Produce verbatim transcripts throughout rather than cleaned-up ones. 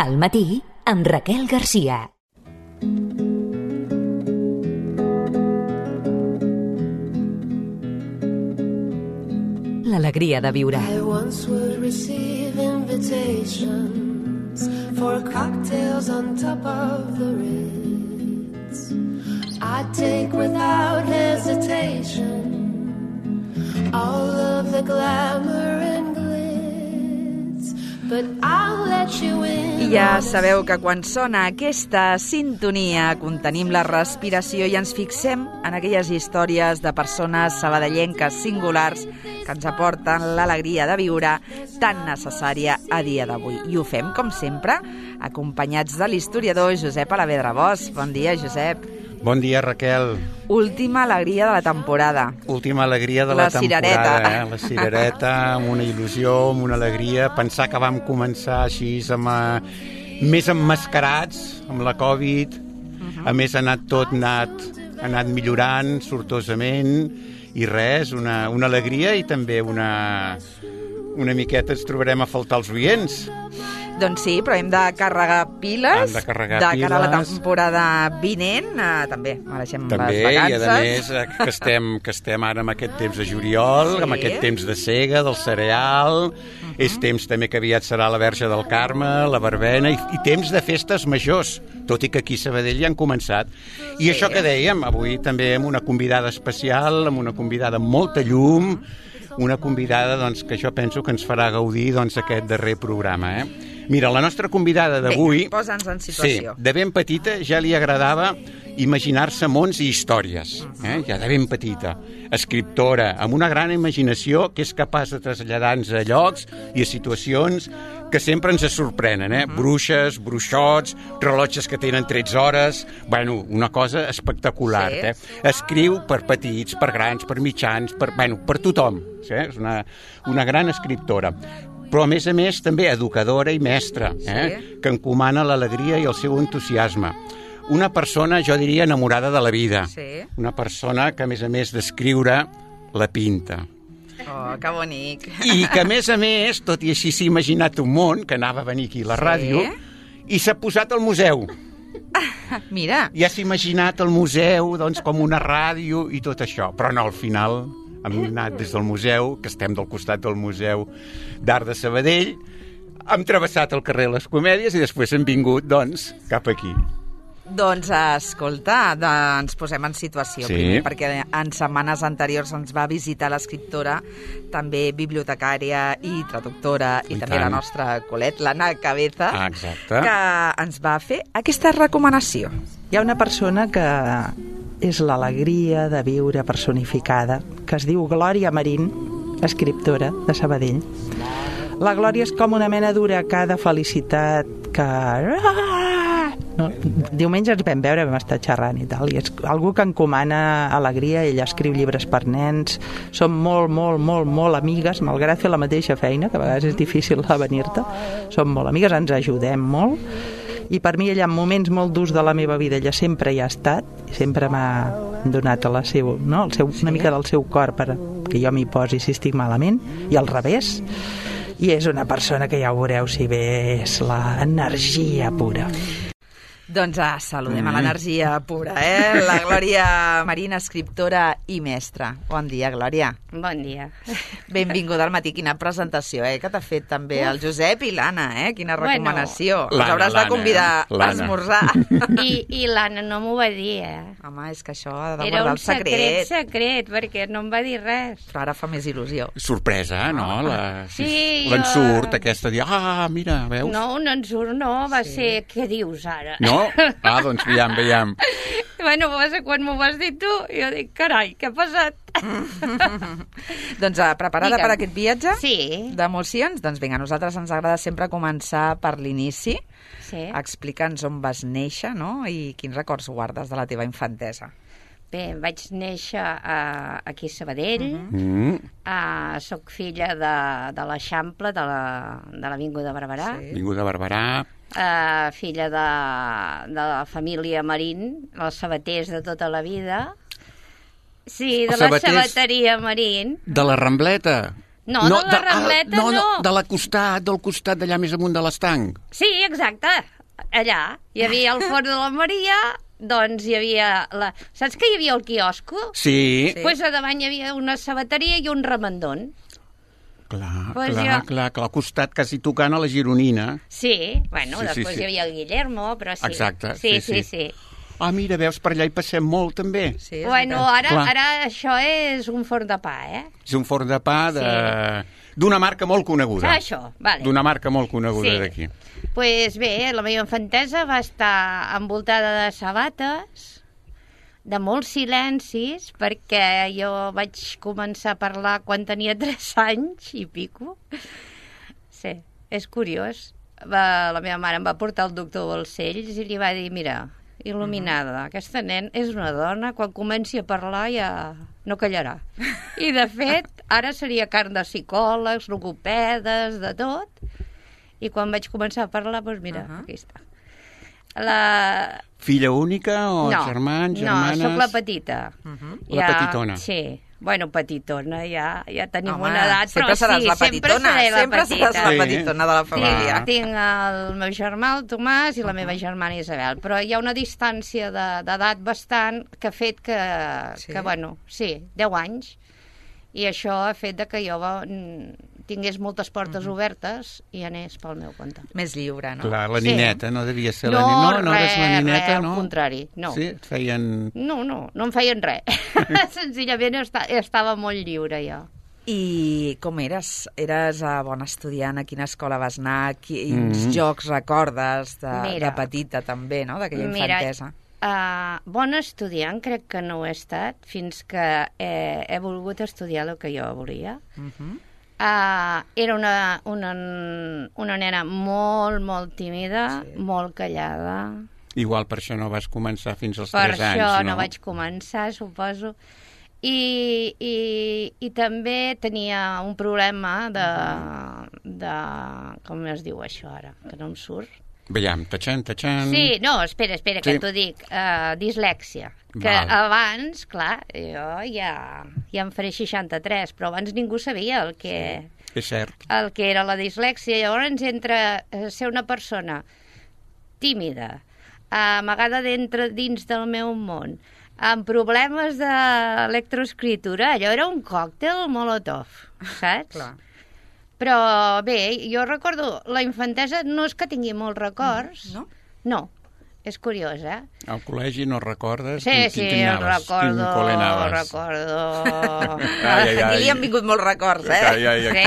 Al matí, amb Raquel Garcia. L'alegria de viure. I once would receive invitations for cocktails on top of the Ritz. I'd take without hesitation all of the glamour and glitz, but I'll let you in. I ja sabeu que quan sona aquesta sintonia contenim la respiració i ens fixem en aquelles històries de persones sabadellenques singulars que ens aporten l'alegria de viure tan necessària a dia d'avui. I ho fem, com sempre, acompanyats de l'historiador Josep Alavedra Bosch. Bon dia, Josep. Bon dia, Raquel. Última alegria de la temporada. Última alegria de la, la temporada. Cirereta. Eh? La cirereta, amb una il·lusió, amb una alegria. Pensar que vam començar així, amb, uh, més emmascarats, amb la Covid. Uh-huh. A més, ha anat tot, ha anat, ha anat millorant sortosament. I res, una, una alegria i també una, una miqueta ens trobarem a faltar els oients. Doncs sí, però hem de carregar piles. Hem de carregar de piles. cara a la temporada vinent. Eh, també mereixem també, les vacances. I a més que estem, que estem ara en aquest temps de juliol, sí. Amb aquest temps de sega, del cereal. Uh-huh. És temps també que aviat serà la Verge del Carme, la verbena, i, i temps de festes majors, tot i que aquí a Sabadell ja han començat. I sí. Això que dèiem, avui també amb una convidada especial, amb una convidada amb molta llum, una convidada doncs, que jo penso que ens farà gaudir doncs, aquest darrer programa. Eh? Mira, la nostra convidada d'avui... Bé, posa'ns en situació. Sí, de ben petita ja li agradava imaginar-se mons i històries. Eh? Ja de ben petita. Escriptora, amb una gran imaginació que és capaç de traslladar-nos a llocs i a situacions que sempre ens sorprenen. Eh? Bruixes, bruixots, rellotges que tenen tretze hores... Bueno, una cosa espectacular. Sí. Eh? Escriu per petits, per grans, per mitjans, per, bueno, per tothom. Sí? És una, una gran escriptora. Però, a més a més, també educadora i mestra, eh? Sí. Que encomana l'alegria i el seu entusiasme. Una persona, jo diria, enamorada de la vida. Sí. Una persona que, a més a més d'escriure, la pinta. Oh, que bonic. I que, a més a més, tot i així s'ha imaginat un món, que anava a venir aquí a la ràdio, sí. I s'ha posat al museu. Ah, mira. Ja s'ha imaginat el museu doncs, com una ràdio i tot això. Però no, al final... Hem anat des del museu, que estem del costat del Museu d'Art de Sabadell, hem travessat el carrer Les Comèdies i després hem vingut, doncs, cap aquí. Doncs, escolta, ens posem en situació, sí. Primer, perquè en setmanes anteriors ens va visitar l'escriptora, també bibliotecària i traductora, i, i també tant. La nostra Colet, l'Anna Cabeza, ah, exacte. Que ens va fer aquesta recomanació. Hi ha una persona que... és l'alegria de viure personificada, que es diu Glòria Marín, escriptora de Sabadell. La Glòria és com una mena d'huracà de felicitat que... No, diumenge ens vam veure, vam estar xerrant i tal, i és algú que encomana alegria. Ella escriu llibres per nens, som molt, molt, molt, molt amigues, malgrat fer la mateixa feina, que a vegades és difícil avenir-te, som molt amigues, ens ajudem molt. I per mi ella en moments molt durs de la meva vida ella sempre hi ha estat i sempre m'ha donat la seu, no? el seu, una mica del seu cor per que jo m'hi posi si estic malament i al revés, i és una persona que ja ho veureu si bé és l'energia pura. Doncs ah, saludem mm. a l'energia pura, eh? La Glòria Marín, escriptora i mestra. Bon dia, Glòria. Bon dia. Benvinguda al matí. Quina presentació, eh? Que t'ha fet també el Josep i l'Anna, eh? Quina recomanació. Bueno, Els hauràs de convidar a esmorzar. I, i l'Anna no m'ho va dir, eh? Home, és que això ha de guardar el secret. Era un secret, secret, perquè no em va dir res. Però ara fa més il·lusió. Sorpresa, no? La, sí, l'ensurt, jo... aquesta, dir, ah, mira, veus? No, un ensurt no, va sí. ser, què dius ara? No? Ah, doncs veiem, veiem. Bueno, va ser quan m'ho vas dir tu, jo dic, carai, què ha passat? Doncs preparada Digue'm. Per aquest viatge sí. d'emocions? Doncs vinga, a nosaltres ens agrada sempre començar per l'inici. Sí. Explica'ns on vas néixer, no? I quins records guardes de la teva infantesa. Bé, vaig néixer uh, aquí a Sabadell, uh-huh. mm. uh, soc filla de, de l'Eixample, de l'Avinguda la, Barberà. Sí. Avinguda Barberà. Uh, filla de, de la família Marín, els sabaters de tota la vida. Sí, de la sabateria Marín. De la Rambleta. No, de la de- Rambleta no, no. De la costat, del costat d'allà més amunt de l'estanc. Sí, exacte. Allà hi havia el forn de la Maria, doncs hi havia... La... Saps que hi havia el quiosco? Sí. Doncs pues a davant hi havia una sabateria i un remendón. Clar, Pues clar, jo- clar, clar, al costat quasi tocant a la Gironina. Sí, bueno, Sí, sí, després sí. hi havia el Guillermo, però sí. Exacte, Sí, sí, sí, sí. sí. Ah, mira, veus, per allà hi passem molt, també. Sí, és Bueno, veritat. ara, Clar. ara això és un forn de pa, eh? És un forn de pa de... d'una marca molt coneguda. Ah, això, vale. D'una marca molt coneguda Sí. d'aquí. Pues bé, la meva infantesa va estar envoltada de sabates, de molts silencis, perquè jo vaig començar a parlar quan tenia tres anys i pico. Sí, és curiós. Va, la meva mare em va portar al doctor Balcells i li va dir, mira, il·luminada, aquesta nen és una dona, quan comenci a parlar ja no callarà. I de fet, ara seria carn de psicòlegs, logopedes, de tot. I quan vaig començar a parlar, doncs mira, Uh-huh. aquí està. La... Filla única o no, germans, germanes? No, sóc la petita. Mhm. La petitona. Sí. Bueno, petitona, ja, ja tenim Home, una edat, sempre però seràs sí, la sempre petitona, seré la sempre seràs petita. la petitona de la família. Tinc, tinc el meu germà, el Tomàs, i la meva germana Isabel, però hi ha una distància de- d'edat bastant que ha fet que, Sí? que, bueno, sí, deu anys, i això ha fet de que jo mm, tingués moltes portes obertes i anés pel meu compte. Més lliure, no? Clar, la Sí. nineta, no devia ser la No, nineta. No, no eres la res, nineta, res, al no? contrari, no. Sí, et feien... No, no, no em feien res. Senzillament esta, estava molt lliure jo. I com eres? Eres uh, bona estudiant? A quina escola vas anar? Quins Mhm. jocs recordes de, Mira. de petita també, no? D'aquella Mira, infantesa. Uh, bona estudiant crec que no ho he estat fins que he, he volgut estudiar el que jo volia. Mhm. Uh, era una, una, una nena molt, molt tímida, Sí. sí. molt callada. Igual per això no vas començar fins als Per tres això anys, no? no? vaig començar, suposo. I, i, i també tenia un problema de, de... Com es diu això ara? Que no em surt. Veiem, tachan, tachan... Sí, no, espera, espera, que Sí. t'ho dic. Uh, dislèxia. Que Val. abans, clar, jo ja, ja em faré seixanta-tres, però abans ningú sabia el que, És cert. el que era la dislèxia. Llavors, entre eh, ser una persona tímida, amagada dintre, dins del meu món, amb problemes d'electroescritura, allò era un còctel molotov, saps? Clar. Però bé, jo recordo, la infantesa no és que tingui molts records. No? No, és curiós, eh? Al col·legi no recordes? Sí, Quin- sí, quin anaves? recordo, Quin col·le anaves? recordo... Ai, ai, ai. Aquí li han vingut molts records, eh? Ai, ai, ai.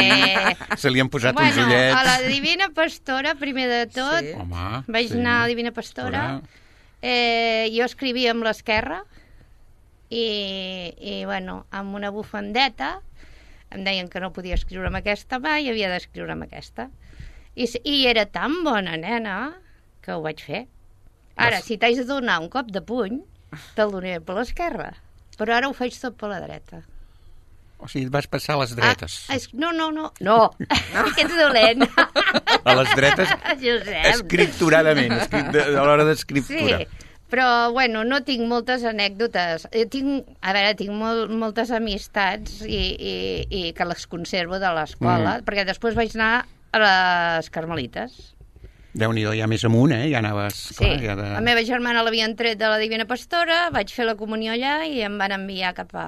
Sí. Se li han posat uns Bueno, ullets. a la Divina Pastora, primer de tot, Sí. Home, vaig sí. anar a la Divina Pastora, eh, jo escrivia amb l'esquerra, i, i, bueno, amb una bufandeta, em deien que no podia escriure amb aquesta mà i havia d'escriure amb aquesta. I, s- I era tan bona nena que ho vaig fer. Ara, Vas- si t'haig de donar un cop de puny, te'l donaré per l'esquerra, però ara ho faig tot per la dreta. O sigui, et vas passar a les dretes. Ah, es, no, no, no, no, que ets dolent. A les dretes, Josep. escripturadament, escrit, de, a l'hora d'escriptura. Sí, però, bueno, no tinc moltes anècdotes. Jo tinc, a veure, tinc molt, moltes amistats i, i, i que les conservo de l'escola, Mm. perquè després vaig anar a les Carmelites. Déu-n'hi-do, ja més amunt, eh? Ja anaves... Sí, Clar, ja de... la meva germana l'havien tret de la Divina Pastora, vaig fer la comunió allà i em van enviar cap a,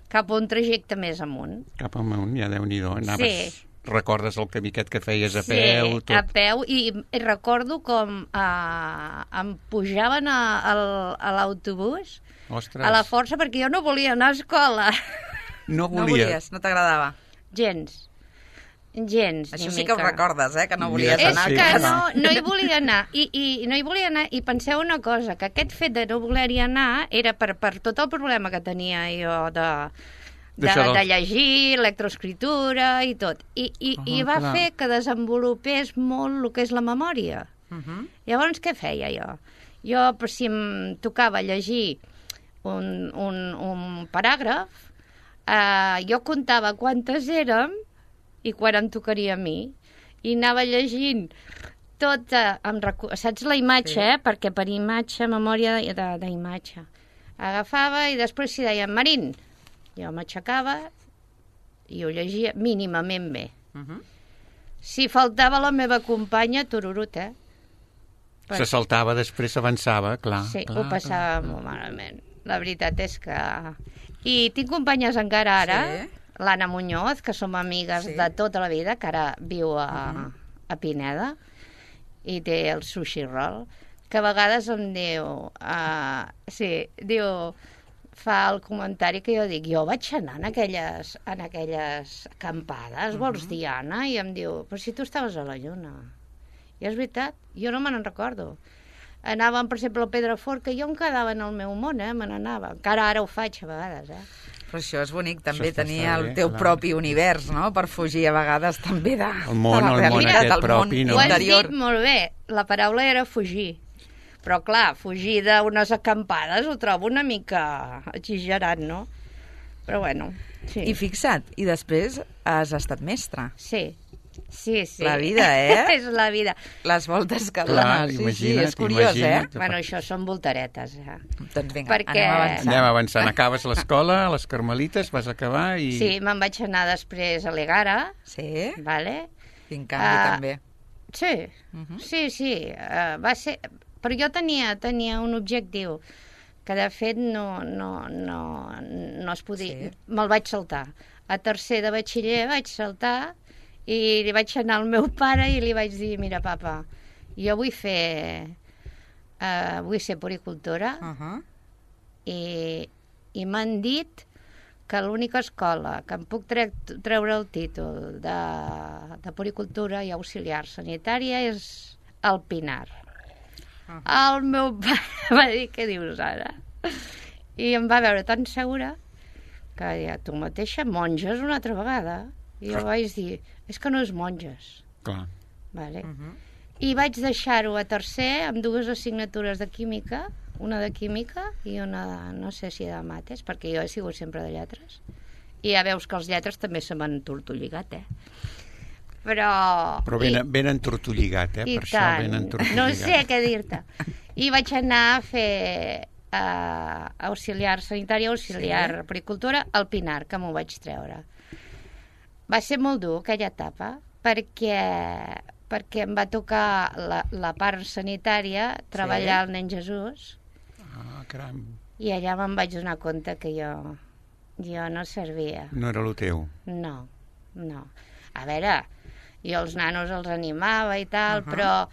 cap a un trajecte més amunt. Cap amunt, ja Déu-n'hi-do. Anaves... Sí. Recordes el camí aquest que feies a peu, Sí, tot. a peu, i, i recordo com eh, em pujaven a, a, a l'autobús Ostres, a la força perquè jo no volia anar a escola. no No volia. volies, no t'agradava. Gens. Gens, Això ni sí que ho mica. recordes, eh? Que no volies Mira, És anar sí. que a casa. no, no hi volia anar. I, i no hi volia anar. I penseu una cosa, que aquest fet de no voler-hi anar era per, per tot el problema que tenia jo de, de, D'això del- de llegir, electroescritura i tot. I, i, Ah, i va clar. fer que desenvolupés molt el que és la memòria. Mhm. Llavors, què feia jo? Jo, per si em tocava llegir un, un, un paràgraf, eh, jo comptava quantes érem i quan em tocaria a mi, i anava llegint tota, em recu... saps la imatge, Sí. eh? Perquè per imatge, memòria de- de- d'imatge. Agafava i després si deien Marín, jo m'aixecava i ho llegia mínimament bé. Uh -huh. Si faltava la meva companya, tururut, eh? Se saltava, després avançava, clar. Sí, clar, ho passava clar. molt malament. La veritat és que... I tinc companyes encara ara, Sí. l'Anna Muñoz, que som amigues Sí. de tota la vida, que ara viu a, Uh-huh. a Pineda, i té el sushi roll, que a vegades em diu... Uh, sí, diu... fa el comentari que jo dic, jo vaig anar en aquelles, en aquelles acampades, Uh-huh. vols dir, Anna? I em diu, però si tu estaves a la lluna. I és veritat, jo no me n'en recordo. Anàvem, per exemple, al Pedrafort, que jo em quedava en el meu món, eh? Me n'anava. Encara ara ho faig a vegades, eh? Però això és bonic, també, està tenir bé, el teu clar. propi univers, no?, per fugir a vegades també de, El món, de la el món realitat, aquest el propi, món no? Ho has interior. dit molt bé, la paraula era fugir. Però, clar, fugir d'unes acampades ho trobo una mica exagerat, no? Però, bueno, sí. I fixa't, i després has estat mestra. Sí, sí, sí. La vida, eh? És la vida. Les voltes que Clar, dones, sí, sí, imagina't, és curiós, imagina't. eh? Bueno, això són voltaretes, eh? Doncs vinga, Perquè- anem avançant. Anem avançant. Acabes l'escola, a les Carmelites, vas acabar i... Sí, me'n vaig anar després a l'Egara, Sí, vale? quin canvi Ah, també. Sí, Mhm. sí, sí. Uh, va ser... Però jo tenia, tenia un objectiu que, de fet, no, no, no, no es podia... Sí. Me'l vaig saltar. A tercer de batxiller vaig saltar i li vaig anar al meu pare i li vaig dir, mira, papa, jo vull fer... Uh, vull ser puricultora Uh -huh. i, i m'han dit que l'única escola que em puc tre treure el títol de, de puricultura i auxiliar sanitària és el Pinar. Uh -huh. El meu pare va dir, què dius ara? I em va veure tan segura que deia, tu mateixa, monges una altra vegada. I jo vaig dir, és que no és monges. Clar. Vale. Uh -huh. I vaig deixar-ho a tercer amb dues assignatures de química, una de química i una, no sé si de mates, perquè jo he sigut sempre de lletres. I ja veus que els lletres també se m'han tortolligat, eh? Però... Però ben, ben entortolligat, eh? I Per això tant. ben entortolligat. No sé què dir-te. I vaig anar a fer uh, auxiliar sanitària, auxiliar Sí. puricultura al Pinar, que m'ho vaig treure. Va ser molt dur aquella etapa, perquè, perquè em va tocar la, la part sanitària, treballar al Nen Jesús, Ah, caram. i allà me'n vaig donar compte que jo, jo no servia. No era el teu. No, no. A veure, jo els nanos els animava i tal, uh -huh. però,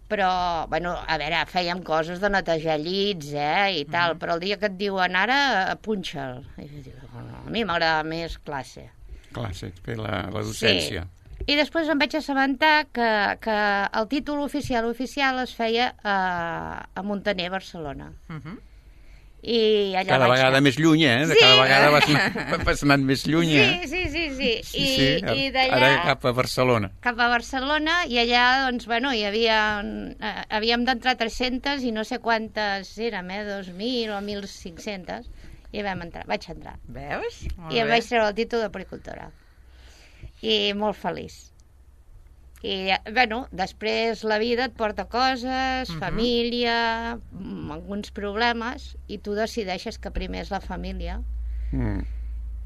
però, bueno, a veure, fèiem coses de netejar llits, eh, i tal, uh -huh. però el dia que et diuen ara, punxa'l. I jo dic, no, a mi m'agrada més classe. Classe, fer la, la docència. Sí. I després em vaig assabentar que, que el títol oficial oficial es feia a, a Montaner, Barcelona. Uh -huh. I allà Cada vaig vegada anar. més lluny, eh? Sí. Cada vegada vas, anar, vas anant més lluny, eh? Sí, sí, sí, sí. Sí, I, sí. i d'allà... Ara cap a Barcelona. cap a Barcelona, i allà, doncs, bueno, hi havia... Eh, havíem d'entrar tres-centes i no sé quantes érem, eh? dos mil o mil cinc-centes, i vam entrar, vaig entrar. Veus? Molt I em bé. vaig treure el títol de puricultora. I molt feliç. I, bueno, després la vida et porta coses, Mhm. família, mm, alguns problemes, i tu decideixes que primer és la família, Mm.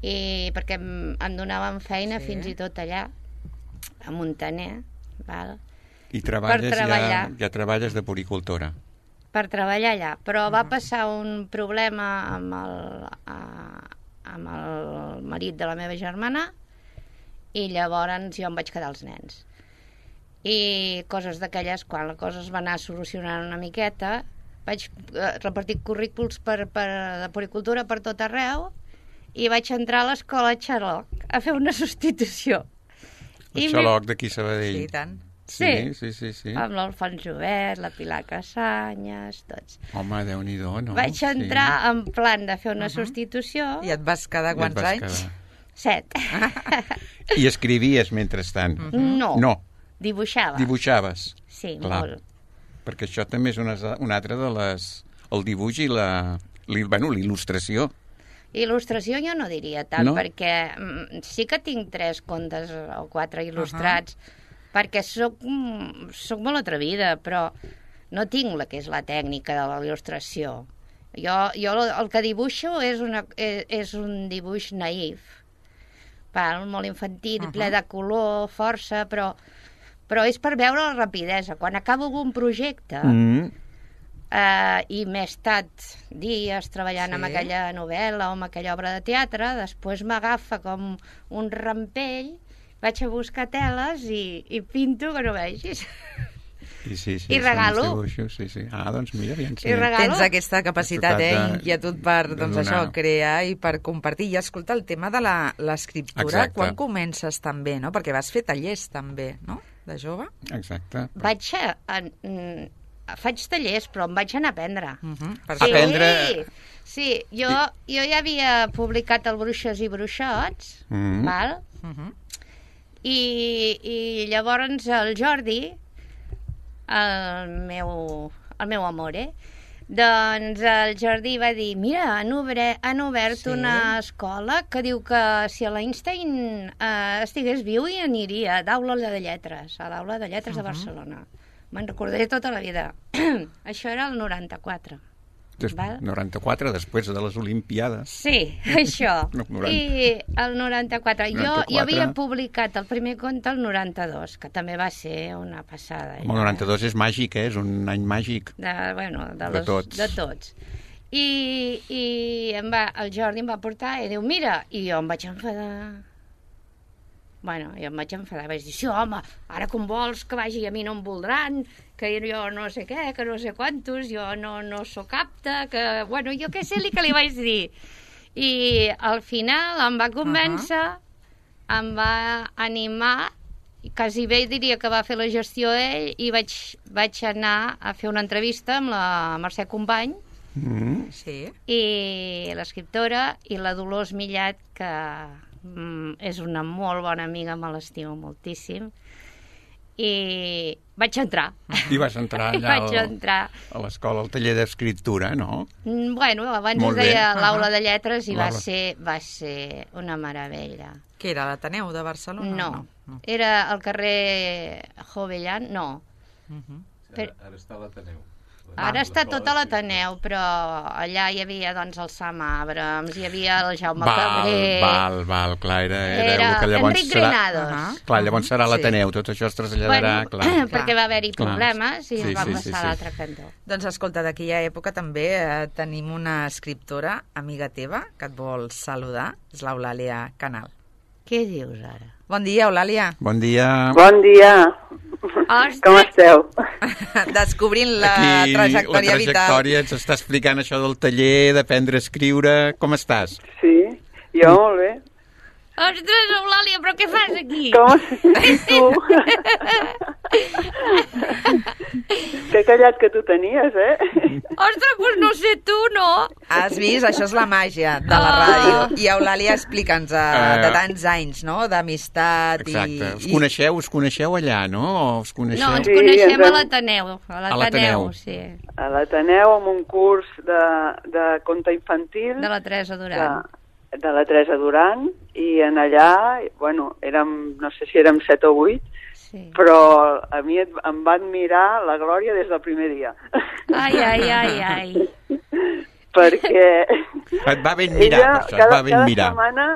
i perquè em, em donaven feina Sí. fins i tot allà, a Montaner, val? I treballes, ja, treballar. ja treballes de puricultora. per treballar allà, però va passar un problema amb el, a, amb el marit de la meva germana i llavors jo em vaig quedar als nens. I coses d'aquelles, quan la cosa es va anar solucionant una miqueta, vaig eh, repartir currículs per, per, de puricultura per tot arreu i vaig entrar a l'escola Xaloc a fer una substitució. El I xaloc d'aquí a Sabadell. Sí, i tant. Sí, sí, sí. sí. amb l'Alfons Jobert, la Pilar Casanyes, tots. Home, Déu-n'hi-do, no? Vaig entrar Sí. en plan de fer una Uh-huh. substitució. I et vas quedar I et quants vas anys? quedar. Set. I escrivies mentrestant? No. No, Dibuixava. dibuixaves. Sí, Clar. molt. Perquè això també és una, una altra de les... El dibuix i la... Li, bueno, l'il·lustració. Il·lustració jo no diria tant, No? perquè mm, sí que tinc tres contes o quatre il·lustrats, perquè soc, mm, soc molt atrevida, però no tinc la que és la tècnica de la il·lustració. Jo, jo el que dibuixo és, una, és, és un dibuix naïf. val, molt infantil, Uh-huh. ple de color, força, però, però és per veure la rapidesa. Quan acabo algun projecte, Mm. eh, i m'he estat dies treballant Sí. amb aquella novel·la o amb aquella obra de teatre, després m'agafa com un rampell, vaig a buscar teles i, i pinto que no vegis. I, sí, sí, I són regalo. els dibuixos, sí, sí. Ah, doncs mira, aviam si... I regalo. Tens aquesta capacitat, eh, Capacitat de- inquietud per, de doncs donar. això, crear i per compartir. I escolta, el tema de la- l'escriptura, Exacte. quan comences també, no? Perquè vas fer tallers també, no?, de jove. Exacte. Vaig a, a, mm, faig tallers, però em vaig anar a aprendre. Uh -huh. Per Sí. això. Aprendre- Sí, jo, jo ja havia publicat el Bruixes i Bruixots, Mm. val? Uh -huh. I, i llavors el Jordi, el meu, el meu amor, eh? Doncs el Jordi va dir, mira, han, obre, han obert Sí. una escola que diu que si a l'Einstein eh, estigués viu hi aniria, d'aula de lletres, a l'aula de lletres uh -huh. de Barcelona. Me'n recordaré tota la vida. Això era el noranta-quatre. Des, Val? noranta-quatre, després de les Olimpiades. Sí, això. No, noranta. I el noranta-quatre. Jo, noranta-quatre. jo havia publicat el primer conte el noranta-dos, que també va ser una passada. El noranta-dos és màgic, eh? És un any màgic. De, bueno, de, De los, tots. de tots. I, i em va, el Jordi em va portar i diu, mira, i jo em vaig enfadar. Bueno, jo em vaig enfadar, vaig dir, sí, home, ara com vols que vagi, a mi no em voldran, que jo no sé què, que no sé quantos, jo no, no sóc apta, que... Bueno, jo què sé li que li vaig dir. I al final em va convèncer, uh -huh. em va animar, i quasi bé diria que va fer la gestió ell, i vaig, vaig anar a fer una entrevista amb la Mercè Company, Mm. Sí. i l'escriptora, i la Dolors Millat, que mm, és una molt bona amiga, me l'estimo moltíssim, i vaig entrar. I vas entrar I allà vaig al, entrar. a l'escola, al taller d'escriptura, no? Mm, Bueno, abans Molt es deia bé. l'aula Ahà. de lletres i va L'aula. ser, va ser una meravella. Que era l'Ateneu de Barcelona? No, no. era al carrer Jovellan, no. Uh -huh. Per- Ara està a l'Ateneu. Ara està tot a l'Ateneu, però allà hi havia doncs el Sam Abrams, hi havia el Jaume val, Cabré... val, val, clar, era, era, Era el que llavors Enric serà... Granados. Ahà. Clar, llavors serà Sí. l'Ateneu, tot això es traslladarà, Bueno, clar. perquè va haver-hi Clar. problemes i Sí, ens vam sí, passar sí, a sí. l'altre cantó. Doncs escolta, d'aquella època també eh, tenim una escriptora, amiga teva, que et vol saludar, és l'Eulàlia Canal. Què dius ara? Bon dia, Eulàlia. Bon dia. Bon dia. Ostres! Com esteu? Descobrint la Aquí trajectòria la vital. trajectòria ens està explicant això del taller, d'aprendre a escriure. Com estàs? Sí, jo molt bé. Ostres, Eulàlia, però què fas aquí? Com estàs tu? Que callat que tu tenies, eh? Ostres, doncs no sé tu, no? Has vist? Això és la màgia de la ràdio. I Eulàlia, explica'ns, uh, de tants anys, no?, d'amistat i... Exacte. Us i- coneixeu, us coneixeu allà, no? O us coneixeu? No, ens Sí, coneixem ens a hem- l'Ateneu. A l'Ateneu. l'Ateneu, sí. A l'Ateneu, amb un curs de, de conte infantil De la Teresa Duran. de, de la Teresa Duran, i en allà, bueno, érem, no sé si érem set o vuit, Sí. però a mi et- em va admirar la Glòria des del primer dia. Ai, ai, ai, ai. Perquè Et va ben mirar, ella per això, et cada, va ben cada mirar. setmana,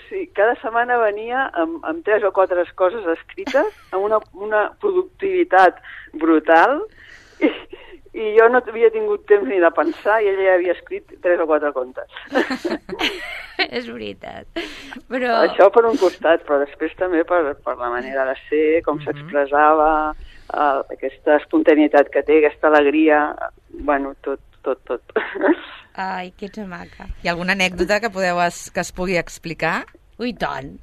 sí, cada setmana venia amb, amb tres o quatre coses escrites, amb una, una productivitat brutal, i, i jo no havia tingut temps ni de pensar, i ella ja havia escrit tres o quatre contes. És veritat. Però... Això per un costat, però després també per, per la manera de ser, com s'expressava, eh, aquesta espontaneïtat que té, aquesta alegria, bueno, tot, tot, tot. Ai, que ets maca. Hi ha alguna anècdota que podeu es, que es pugui explicar? Ui, tant.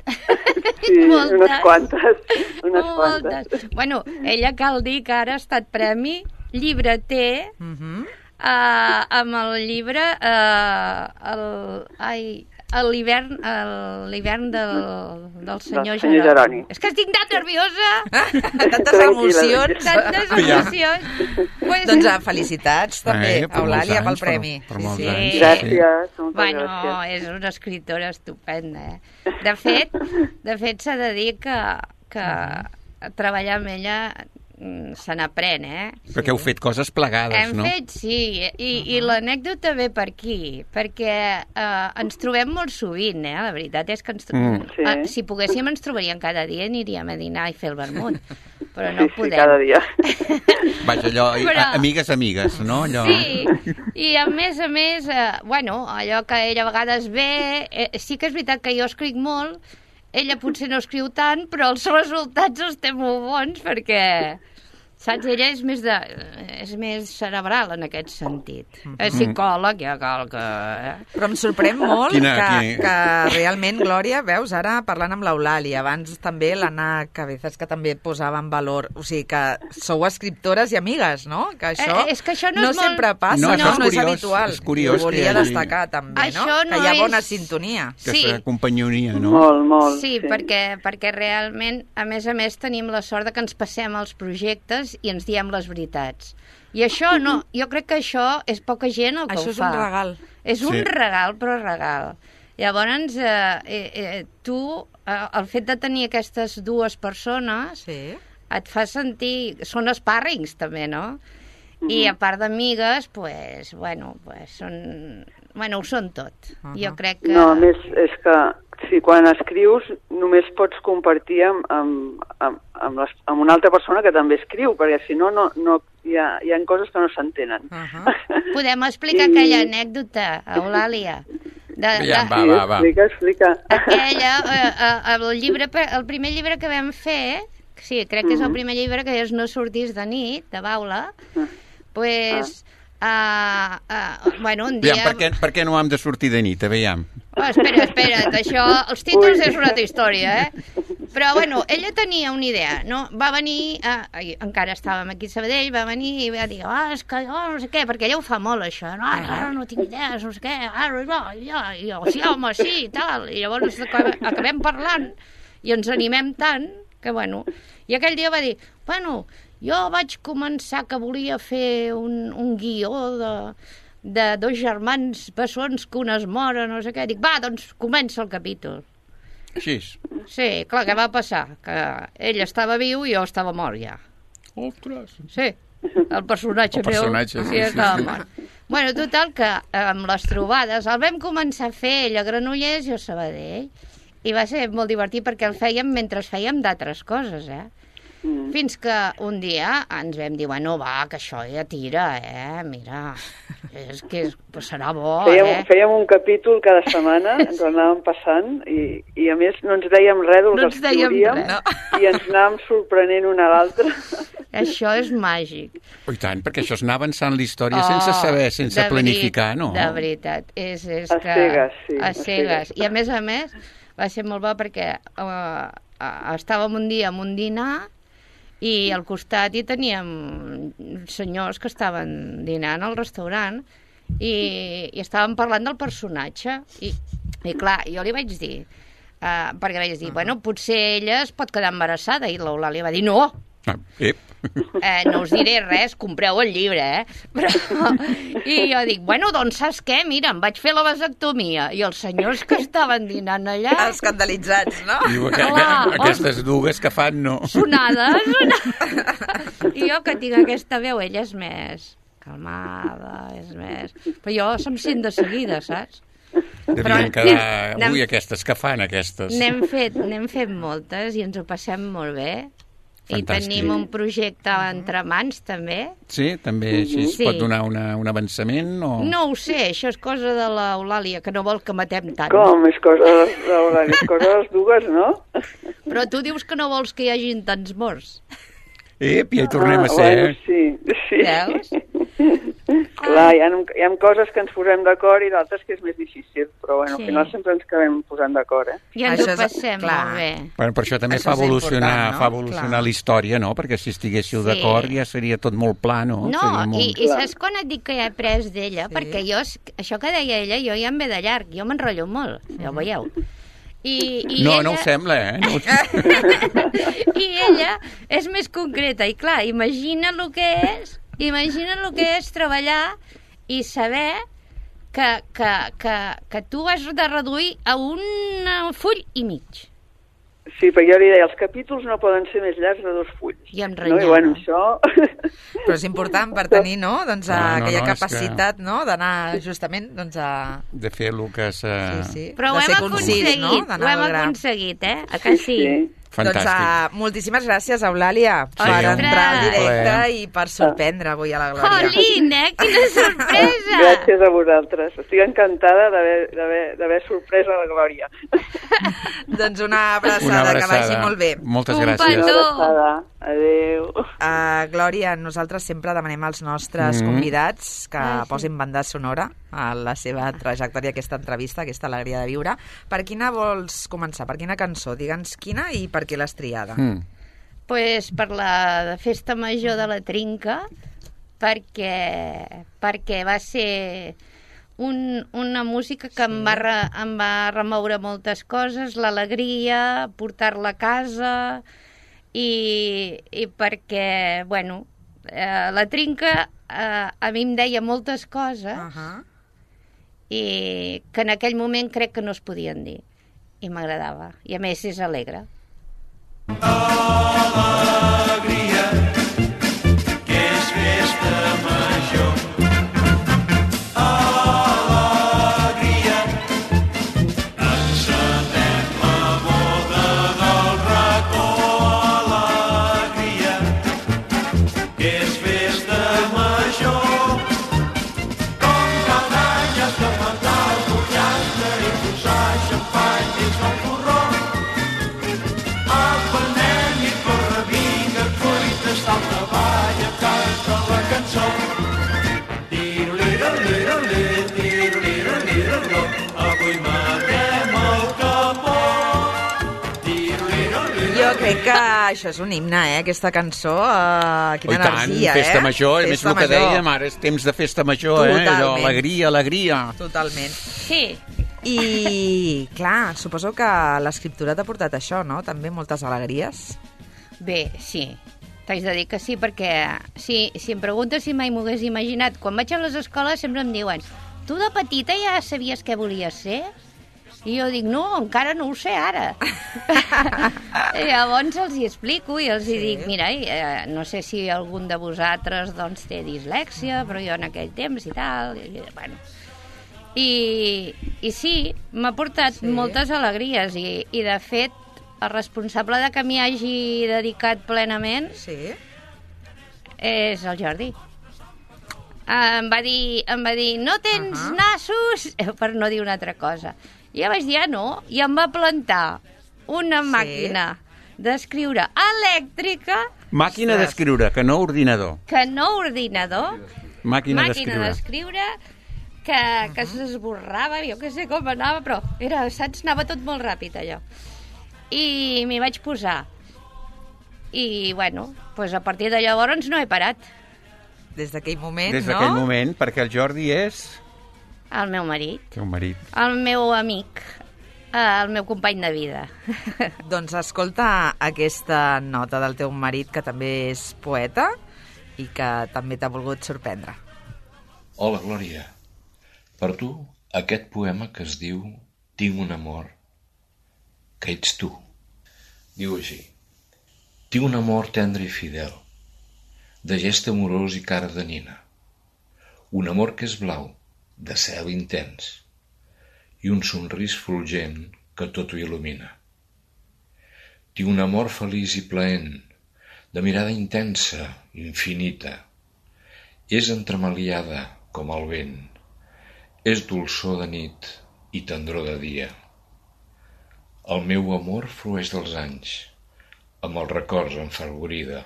Sí, Moltes. unes quantes, unes Moltes. quantes. Bueno, ella cal dir que ara ha estat premi llibreter Uh -huh. uh, amb el llibre uh, el, ai, a l'hivern a l'hivern del, del senyor senyor Jeroni. Jeroni. És que estic tan nerviosa. Tantes Tranquil·la. emocions. Tantes Ja. emocions. Pues, Doncs ah, felicitats també, Eh, per molts Eulàlia, pel anys, per- premi. per molts Sí. anys. Gràcies, moltes bueno, gràcies. és una escriptora estupenda. Eh? De fet, de fet s'ha de dir que, que treballar amb ella se n'aprèn, eh? Perquè heu fet coses plegades, Hem no? fet, sí, i, uh-huh. i l'anècdota ve per aquí, perquè eh, ens trobem molt sovint, eh? La veritat és que ens tro... Mm. Sí. eh, si poguéssim ens trobaríem cada dia, aniríem a dinar i fer el vermut, però no Sí, sí, podem. cada dia. Vaja, allò, Però- a- amigues, amigues, no? Allò... Sí, i a més a més, eh, bueno, allò que ella a vegades ve, eh, sí que és veritat que jo escric molt, ella potser no escriu tant, però els resultats els té molt bons perquè, saps, ella és més, de, és més cerebral en aquest sentit. Mm. És psicòleg, ja cal que... Eh? Però em sorprèn molt Quina- que, quina- que realment, Glòria, veus, ara parlant amb l'Eulàlia, abans també l'Anna Cabezas, que també posava en valor, o sigui, que sou escriptores i amigues, no? Que això Eh, és que això no no és molt- sempre passa, No, no, això és no és curiós, habitual. és curiós Ho volia que hi hagi- destacar també, Això no? no Que hi ha bona és- sintonia. Aquesta Sí. companyonia, no? Molt, molt. Sí, perquè, perquè realment, a més a més, tenim la sort de que ens passem els projectes i ens diem les veritats. I això no, jo crec que això és poca gent el que Això ho és fa. un regal. És un Sí. regal, però regal. Llavors, eh, eh, eh, tu, eh, el fet de tenir aquestes dues persones Sí. et fa sentir... Són spàrrings, també, no? I a part d'amigues, pues, bueno, pues són... Bueno, ho són tot. Uh-huh. Jo crec que... No, a més, és que si quan escrius només pots compartir amb, amb, amb, amb, les, amb una altra persona que també escriu, perquè si no, no, no hi, ha, hi ha coses que no s'entenen. Uh-huh. Podem explicar I- aquella anècdota, Eulàlia? De, Ja, de, va, va, va. Explica, explica. aquella, eh, eh, el, llibre, el primer llibre que vam fer, sí, crec que és el primer llibre, que és No sortis de nit, de Baula, pues, uh, uh, bueno, un dia... Aviam, per, què, per què no hem de sortir de nit? Aviam. Oh, espera, espera't, això, els títols és una altra història, eh? Però, bueno, ella tenia una idea, no? Va venir, eh, encara estàvem aquí a Sabadell, va venir i va dir, ah, és que jo no sé què, perquè ella ho fa molt, això, no, ara no tinc idees, no sé què, ara no, ja, i jo, sí, home, sí, i tal, i llavors acabem, acabem parlant i ens animem tant que, bueno, i aquell dia va dir, bueno, jo vaig començar que volia fer un, un guió de, de dos germans bessons que un es mora, no sé què. Dic, va, doncs comença el capítol. Així. Sí, clar, què va passar? Que ell estava viu i jo estava mort ja. Ostres. Sí, el personatge El personatge, meu sí, sí, estava sí. mort. Bueno, total, que amb les trobades el vam començar a fer ell a Granollers i jo a Sabadell. I va ser molt divertit perquè el fèiem mentre fèiem d'altres coses, eh? Mm. Fins que un dia ens vam dir, bueno, va, que això ja tira, eh? Mira, és que és, pues serà bo, Fèiem, eh? fèiem un capítol cada setmana, ens ho anàvem passant i, i a més no ens dèiem res del No que ens dèiem escriuríem res. i ens anàvem sorprenent una a l'altra. Això és màgic. Oh, i tant, perquè això és anar avançant la història sense saber, sense de planificar, veri- no? De veritat, és, és A que... cegues, sí, A a cegues. cegues. I a més a més, va ser molt bo perquè uh, estàvem un dia en un dinar i al costat hi teníem senyors que estaven dinant al restaurant i, i estàvem parlant del personatge i, i clar, jo li vaig dir uh, perquè vaig dir, bueno, potser ella es pot quedar embarassada i l'Eulàlia va dir, no, Ah, ep. eh, no us diré res, compreu el llibre, eh? Però, i jo dic, bueno, doncs saps què? Mira, em vaig fer la vasectomia i els senyors que estaven dinant allà... Escandalitzats, no? Diu, que, que, Clar, aquestes dues que fan, no. Sonades, sonades. I jo que tinc aquesta veu, ella és més calmada, és més... Però jo se'm sent de seguida, saps? Devien Però quedar... n'hem- Ui, aquestes que fan, aquestes. N'hem fet, n'hem fet moltes i ens ho passem molt bé. I Fantàstic. tenim un projecte entre mans, també. Sí, també així es Sí. pot donar una, un avançament o... No ho sé, això és cosa de l'Eulàlia, que no vol que matem tant. Com? És cosa de, de, és cosa de les dues, no? Però tu dius que no vols que hi hagin tants morts. Ep, ja hi tornem Ah, a ser. bueno, sí, sí. Veus? Clar, hi ha, hi ha coses que ens posem d'acord i d'altres que és més difícil, però bueno, Sí. al final sempre ens acabem posant d'acord, eh? I ens Això ho és- passem clar. molt bé. Bueno, per això també Això fa és evolucionar, important, no? fa evolucionar Clar. la història, no? Perquè si estiguéssiu Sí. d'acord ja seria tot molt pla, no? No, Seria molt... i, i saps quan et dic que he après d'ella? Sí. Perquè jo, això que deia ella, jo ja em ve de llarg, jo m'enrotllo molt, ja ho veieu. I, i No, ella... no ho sembla, eh? No ho... I ella és més concreta, i clar, imagina el que és, imagina el que és treballar i saber que, que, que, que tu has de reduir a un full i mig. Sí, perquè jo li deia, els capítols no poden ser més llargs de dos fulls. I em No? renyava. I bueno, això... Però és important per tenir, no?, doncs, No, no, aquella no, és capacitat, no?, d'anar justament, doncs, a... De fer el que s'ha... Sí, sí. Però ho de hem ser concís, aconseguit, no?, ho d'anar hem al gra. aconseguit, eh? A que sí? Fantàstic. Doncs uh, moltíssimes gràcies, Eulàlia, per Ostres! entrar al directe Plaer. i per sorprendre avui a la Glòria. Jolín, eh? Quina sorpresa! Gràcies a vosaltres. Estic encantada d'haver- d'haver d'haver sorprès a la Glòria. Doncs una abraçada, Una abraçada. que vagi molt bé. Moltes Un gràcies. petó. Una abraçada. Adéu. Uh, Glòria, nosaltres sempre demanem als nostres Mm. convidats que Ah, sí. posin banda sonora a la seva trajectòria, aquesta entrevista, aquesta alegria de viure. Per quina vols començar? Per quina cançó? Digue'ns quina i per què l'has triada. Mm. Pues per la de Festa Major de la Trinca, perquè, perquè va ser un, una música que em, va re, em va remoure moltes coses, l'alegria, portar-la a casa, i, i perquè, bueno, eh, la Trinca eh, a mi em deia moltes coses Uh -huh. i que en aquell moment crec que no es podien dir, i m'agradava, i a més és alegre. Jo crec que això és un himne, eh, aquesta cançó. Uh, quina Oh, i tant, energia, festa eh? major, a més Festa el que major. dèiem, ara és temps de festa major, eh? Totalment. Allò, alegria, alegria. Totalment. Sí, I, clar, suposo que l'escriptura t'ha portat això, no? També moltes alegries. bé, sí. T'haig de dir que sí, perquè si, si em preguntes si mai m'ho hagués imaginat, quan vaig a les escoles sempre em diuen, tu de petita ja sabies què volies ser? I jo dic, no, encara no ho sé ara. I llavors els hi explico i els hi Sí. dic, mira, eh, no sé si algun de vosaltres doncs, té dislèxia, però jo en aquell temps i tal, i, bueno... I, i sí, m'ha portat Sí. moltes alegries i, i de fet el responsable de que m'hi hagi dedicat plenament Sí. és el Jordi. Em va dir, em va dir no tens Ahà. nassos, per no dir una altra cosa. I jo vaig dir, ah, no, i em va plantar una Sí. màquina d'escriure elèctrica, Màquina Ostres. d'escriure, que no ordinador. que no ordinador, Màquina màquina d'escriure. d'escriure, que, que s'esborrava, jo què sé com anava, però era, saps, anava tot molt ràpid, allò. I m'hi vaig posar. I, bueno, doncs a partir de llavors no he parat. Des d'aquell moment, Des no? d'aquell moment, perquè el Jordi és... El meu marit, Teu marit. el meu amic, el meu company de vida. Doncs escolta aquesta nota del teu marit, que també és poeta i que també t'ha volgut sorprendre. Hola, Glòria. Per tu, aquest poema que es diu Tinc un amor, que ets tu. Diu així. Tinc un amor tendre i fidel, de gest amorós i cara de nina. Un amor que és blau, de cel intens, i un somrís fulgent que tot ho il·lumina. Tinc un amor feliç i plaent, de mirada intensa, infinita. És entremaliada com el vent, és dolçor de nit i tendror de dia. El meu amor flueix dels anys, amb els records enfervorida.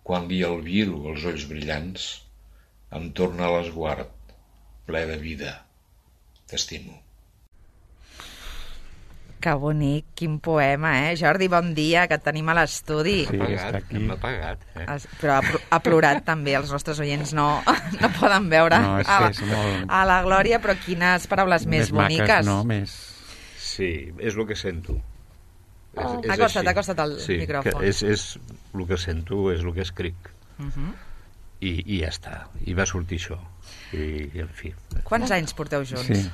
Quan li albiro els ulls brillants, em torna a l'esguard, ple de vida. T'estimo. Que bonic, quin poema, eh? Jordi, bon dia, que et tenim a l'estudi. Sí, M'ha està pagat, aquí. m'ha pagat. Eh? Es- Però ha, pl- ha plorat també, els nostres oients no, no poden veure No, és a, que la, és molt- a la Glòria, però quines paraules més, maques, boniques. no? Més... Sí, és el que sento. És, Oh. és Acosta't, així. acosta't al sí, micròfon. Que és, és el que sento, és el que escric. Uh -huh. I, I ja està. I va sortir això. I, i en fi. Quants anys porteu junts? Sí.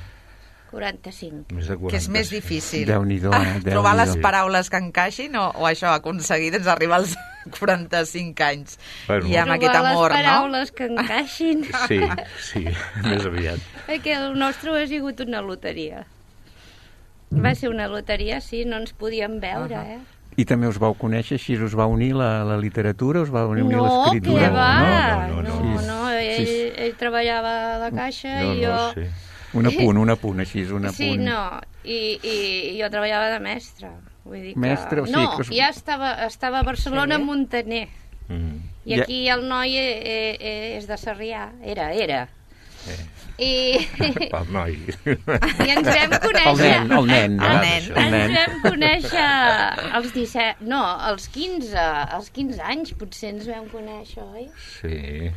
quaranta-cinc. Més de quaranta. Que és més difícil. Déu-n'hi-do, eh? Trobar les Déu-n'hi-do. paraules que encaixin o, o això, aconseguir doncs, arribar als quaranta-cinc anys. Bueno. I amb aquest amor, Trobar les no? paraules que encaixin. Sí, sí, més aviat. Perquè el nostre ha sigut una loteria. Va ser una loteria, sí, no ens podíem veure, eh? I també us vau conèixer, així us va unir la, la literatura, us va unir No, l'escriptura? què va? No, no, no, no, no. no ell, Sí, sí. ell treballava a la caixa No, i jo... no, sí. Un apunt, un apunt, així, un apunt. Sí, no, i, i, i jo treballava de mestra. Vull dir que... Mestre, o sigui no, que us- ja estava, estava a Barcelona, Sí. Montaner. Mm. I Ja- aquí el noi eh, eh, és de Sarrià. Era, era. Eh. I, Pel noi. i ens vam conèixer... El nen, el nen. El nen. El Ens nen. vam conèixer als disset... No, als quinze. Als quinze anys potser ens vam conèixer, oi? Sí.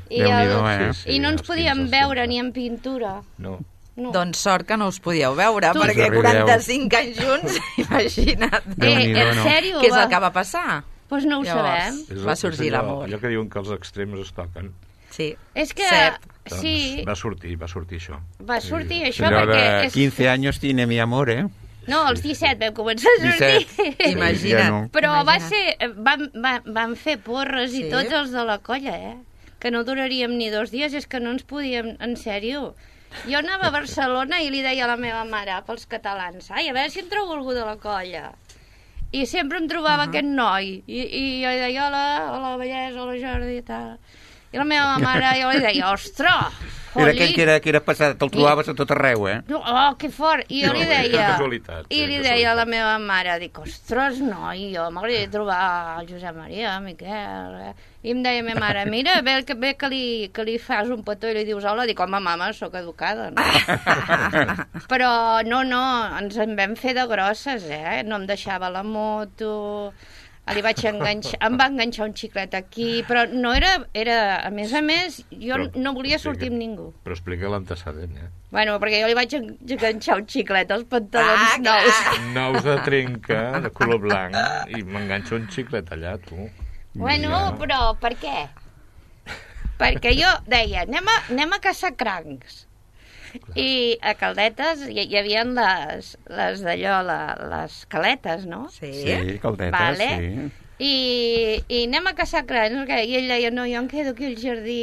I, Déu-n'hi-do, el- eh? Sí, sí, I no ens als podíem quinze, als veure quinze. ni en pintura. No. No. Doncs sort que no us podíeu veure, Tu- perquè Us arribeu. quaranta-cinc anys junts, imagina't. eh, Déu-n'hi-do, en no? sèrio? Què és el que va passar? Doncs no ho Llavors. sabem. És Va el- sorgir és allò- l'amor. Allò que diuen que els extrems es toquen. Sí. És que... Cert. Doncs Sí, va sortir, va sortir això. va sortir això Allò perquè... de És... quinze anys tiene mi amor, eh? No, als disset vam començar a sortir. disset. Imagina't. Ja no. Però va Imagina't. ser... Vam, vam, vam fer porres i Sí? tots els de la colla, eh? Que no duraríem ni dos dies, és que no ens podíem... En sèrio. Jo anava a Barcelona i li deia a la meva mare, pels catalans, ai, a veure si em trobo algú de la colla. I sempre em trobava uh -huh. aquest noi. I, I jo li deia, hola, hola, bellesa, hola, Jordi, i tal. I la meva mare, jo li deia, ostres, Era aquell que era, que era passat, te'l trobaves a tot arreu, eh? no, oh, que fort! I jo No, li és deia... casualitat, I és li casualitat. deia a la meva mare, dic, ostres, noi, jo m'agradaria trobar el Josep Maria, Miquel... Eh? I em deia a meva mare, mira, bé que, bé que, li, que li fas un petó i li dius hola, dic, home, mama, sóc educada, no? Però no, no, ens en vam fer de grosses, eh? No em deixava la moto... Li vaig enganxar, em va enganxar un xiclet aquí, però no era, era a més a més, jo Però no volia sortir explica- amb ningú. Però explica l'antecedent, eh? Bueno, perquè jo li vaig en- enganxar un xiclet als pantalons Ah, clar. nous. Nous de trenca, de color blanc, i m'enganxa un xiclet allà, tu. Bueno, però per què? Perquè jo deia, anem a, anem a caçar crancs. I a Caldetes hi, hi havia les, les d'allò, la, les caletes, no? Sí. Sí, caldetes, Vale. sí. I, I anem a caçar crancs, perquè- i ell deia, no, jo em quedo aquí al jardí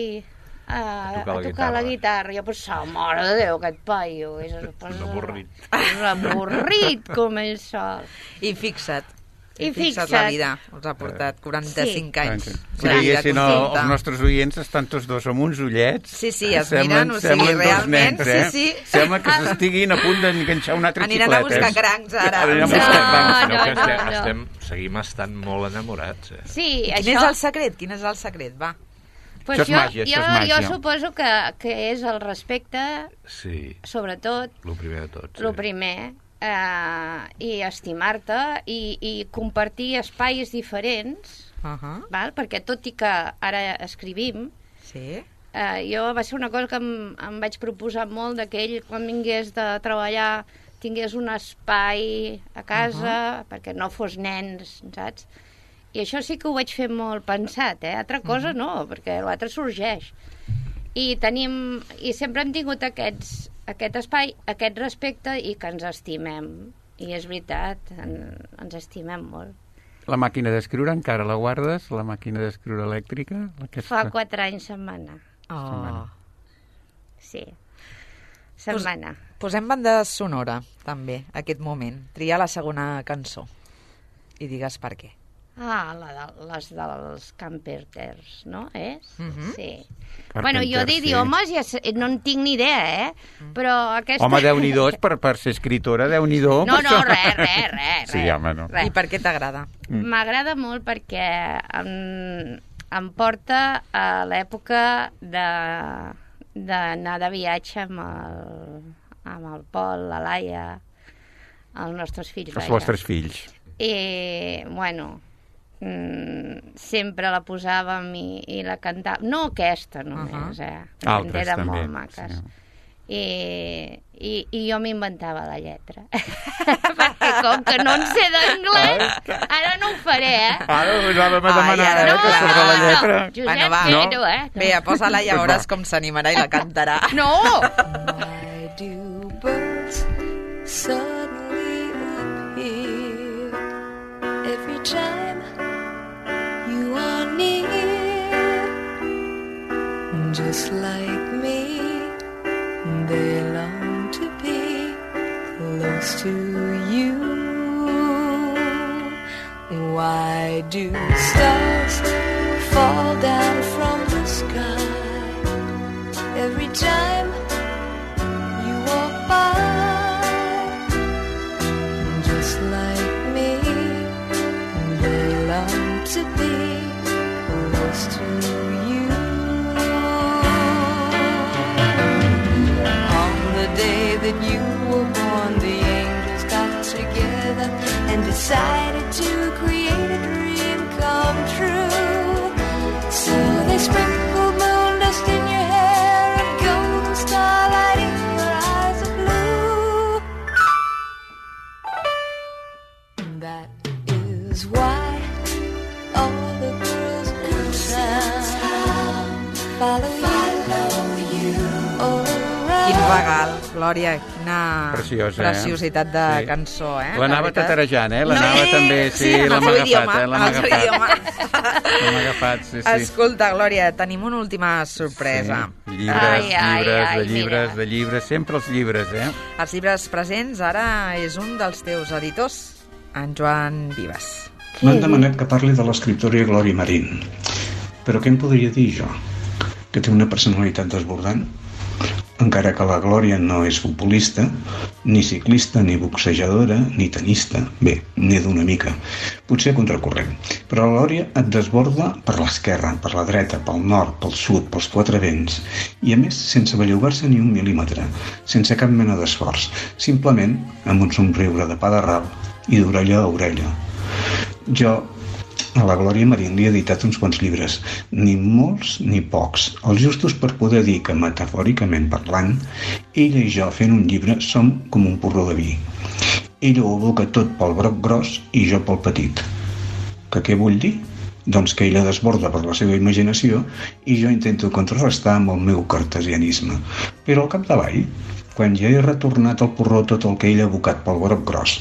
a, a tocar la tocar la guitarra. guitarra. Jo pensava, mare de Déu, aquest paio. És, Un avorrit. És avorrit com ell sol. I fixa't. I fixa't fixa't. la vida. Us ha portat quaranta-cinc anys. Si La vida veiessin el, contenta. els nostres oients, estan tots dos amb uns ullets. Sí, sí, es Semblen- miren, o sigui, semblen dos realment, nens, eh? sí, sí. Sembla que s'estiguin a punt d'enganxar un altre Aniran xiclet. a buscar eh? crancs, ara. Aniran a No, buscar crancs. no, Sinó que no, estem, no. estem, seguim estant molt enamorats, eh? Sí, Quin això... és el secret? Quin és el secret? Va. Pues Això és jo, màgia, això jo, és màgia. jo suposo que, que és el respecte, Sí, sobretot, el primer de tot. Sí. el primer, eh, i estimar-te i, i compartir espais diferents, Uh -huh. val? Perquè tot i que ara escrivim, Sí. eh, jo va ser una cosa que em, em vaig proposar molt, de que ell quan vingués de treballar tingués un espai a casa, uh -huh. perquè no fos nens, saps? I això sí que ho vaig fer molt pensat, eh? Altra cosa uh -huh. no, perquè l'altre sorgeix. I tenim, i sempre hem tingut aquests, aquest espai, aquest respecte i que ens estimem. I és veritat, en, ens estimem molt. La màquina d'escriure encara la guardes? La màquina d'escriure elèctrica? Aquesta... Fa quatre anys se'n va anar. Oh. Sí. Se'n Pues- va anar. Posem banda sonora, també, aquest moment. Tria la segona cançó i digues per què. Ah, la de, les dels Camperters, no? És? Mhm. Sí. Carpenter, Bueno, jo d'idiomes ja sé, no en tinc ni idea, eh? Però aquesta... Home, Déu-n'hi-do, per, per ser escriptora, Déu-n'hi-do. No, per no, això. res, res, res. Sí, res, home, no. res. I per què t'agrada? M'agrada molt perquè em, em porta a l'època de d'anar de viatge amb el, amb el Pol, la Laia, els nostres fills. Els vaja. vostres fills. I, bueno, mm, sempre la posàvem i, i la cantàvem. No aquesta només, Uh-huh. eh? Altres, Eren també, molt maques. sí. I, i, i jo m'inventava la lletra. Perquè com que no en sé d'anglès, ara no ho faré, eh? Ara us anàvem a Ai, demanar, ara eh, no, que surt de la no, lletra. Josep, Bueno, va. que No? no, eh? No. Bé, posa-la i ja veuràs com s'animarà i la cantarà. No! Why do birds time you are near, just like me, they long to be close to you. Why do stars fall down from the sky every time you walk by? Just like me, they long to be close to you. On the day that you were born, the angels got together and decided to create a dream come true. So they sprinkled moon dust in your hair and golden starlight in your eyes of blue. That is why all the girls in town follow you all around. Quin regal, Glòria, quina Preciosa, eh? preciositat de Sí. cançó, eh? L'anava De veritat. tatarejant, eh? L'anava Sí, també, sí, sí, en el l'hem seu agafat, idioma, eh? L'hem en el seu agafat. idioma. L'hem agafat, sí, sí. Escolta, Glòria, tenim una última sorpresa. Sí. Llibres, Ai, ai, llibres, ai, de llibres, mira. de llibres, sempre els llibres, eh? Els llibres presents ara és un dels teus editors, en Joan Vives. M'han demanat que parli de l'escriptora Glòria Marín. Però què em podria dir jo? Que té una personalitat desbordant? Encara que la Glòria no és futbolista, ni ciclista, ni boxejadora, ni tenista. Bé, n'he d'una mica. Potser a contracorrent. Però la Glòria et desborda per l'esquerra, per la dreta, pel nord, pel sud, pels quatre vents. I a més, sense bellugar-se ni un mil·límetre, sense cap mena d'esforç. Simplement amb un somriure de pa de ral i d'orella a orella. Jo a la Glòria Marín li he editat uns quants llibres, ni molts ni pocs, els justos per poder dir que, metafòricament parlant, ella i jo fent un llibre som com un porró de vi. Ella ho aboca tot pel broc gros i jo pel petit. Que què vull dir? Doncs que ella desborda per la seva imaginació i jo intento contrarrestar amb el meu cartesianisme. Però al capdavall, quan ja he retornat al porró tot el que ella ha abocat pel broc gros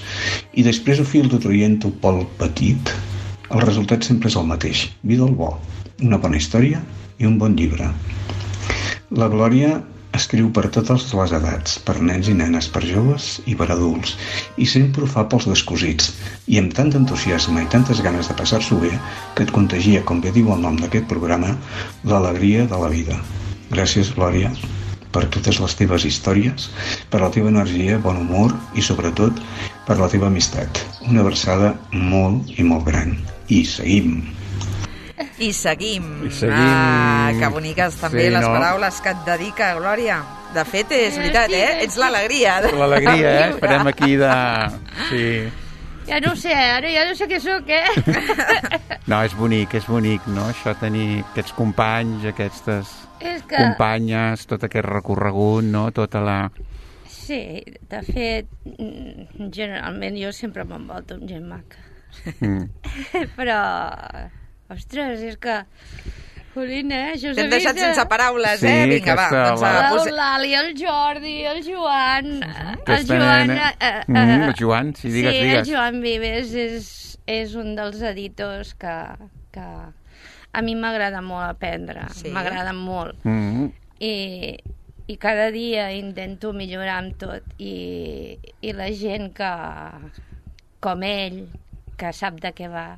i després ho filtro traient-ho pel petit, el resultat sempre és el mateix, vi del bo, una bona història i un bon llibre. La Glòria escriu per totes les edats, per nens i nenes, per joves i per adults, i sempre ho fa pels descosits, i amb tant d'entusiasme i tantes ganes de passar-s'ho bé que et contagia, com bé diu el nom d'aquest programa, l'alegria de la vida. Gràcies, Glòria, per totes les teves històries, per la teva energia, bon humor i, sobretot, per la teva amistat. Una abraçada molt i molt gran. I seguim. I seguim. I seguim. Ah, que boniques també Sí, les no? paraules que et dedica, Glòria. De fet, és veritat, eh? Ets l'alegria. de- L'alegria, eh? Esperem aquí de... Sí. Ja no ho sé, ara ja no sé què sóc, eh? No, és bonic, és bonic, no? Això tenir aquests companys, aquestes És que... companyes, tot aquest recorregut, no? Tota la... Sí, de fet, mm, generalment jo sempre m'envolto amb gent maca. Mm. Però, ostres, és que... Jolín, eh? Això T'hem deixat sense paraules, Sí, eh? Vinga, va. aquesta- Doncs, ah, posi- L'Eulàlia, el Jordi, el Joan... El Aquesta Joan... nena. eh, eh, Mm, el Joan, sí, digues, sí, digues. el Joan Vives és, és un dels editors que, que a mi m'agrada molt aprendre. Sí. M'agrada molt. Mm. I, i cada dia intento millorar amb tot. I, i la gent que, com ell, que sap de què va,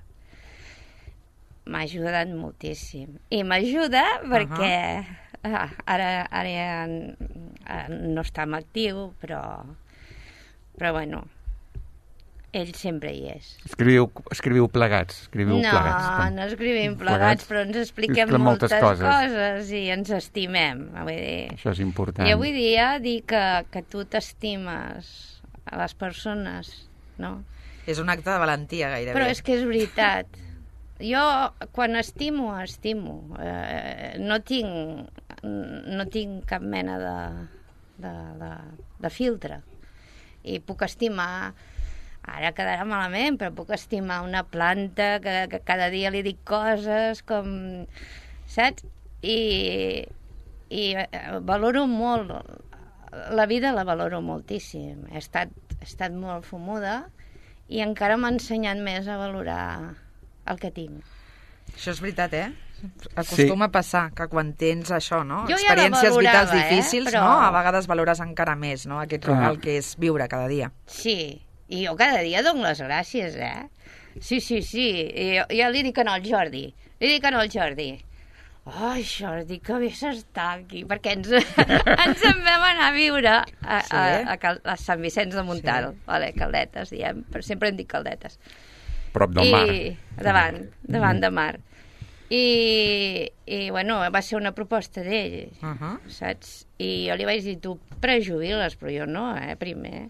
m'ha ajudat moltíssim. I m'ajuda perquè ah, ara, ara ja ah, no està en actiu, però, però bueno, ell sempre hi és. Escriviu, escriviu plegats, escriviu No, plegats. no escrivim Plegats. plegats, però ens expliquem Expliquem moltes moltes, coses. coses. i ens estimem. Vull dir, Això és important. i avui dia dir que, que tu t'estimes a les persones, no? És un acte de valentia, gairebé. Però és que és veritat. Jo, quan estimo, estimo. Eh, no tinc no tinc cap mena de, de, de, de filtre. I puc estimar, ara quedarà malament, però puc estimar una planta que, que cada dia li dic coses com... Saps? I, i valoro molt... La vida la valoro moltíssim. He estat, he estat molt fumuda i encara m'ha ensenyat més a valorar el que tinc. Això és veritat, eh? Acostuma sí. a passar que quan tens això, no? Jo experiències ja vitals eh? difícils, Però... no? A vegades valores encara més, no? Aquest regal que és viure cada dia. Sí, i jo cada dia dono les gràcies, eh? Sí, sí, sí. I jo, jo li dic al Jordi, li dic al Jordi, ai, Jordi, que bé s'està aquí, perquè ens, ens en vam anar a viure a, sí. a, a, Cal, a Sant Vicenç de Montalt, sí. vale, Caldetes, diem, però sempre hem dit Caldetes. Prop del mar. I davant, davant mm. de mar. I, i, bueno, va ser una proposta d'ell, uh -huh. saps? I jo li vaig dir, tu prejubiles, però jo no, eh, primer.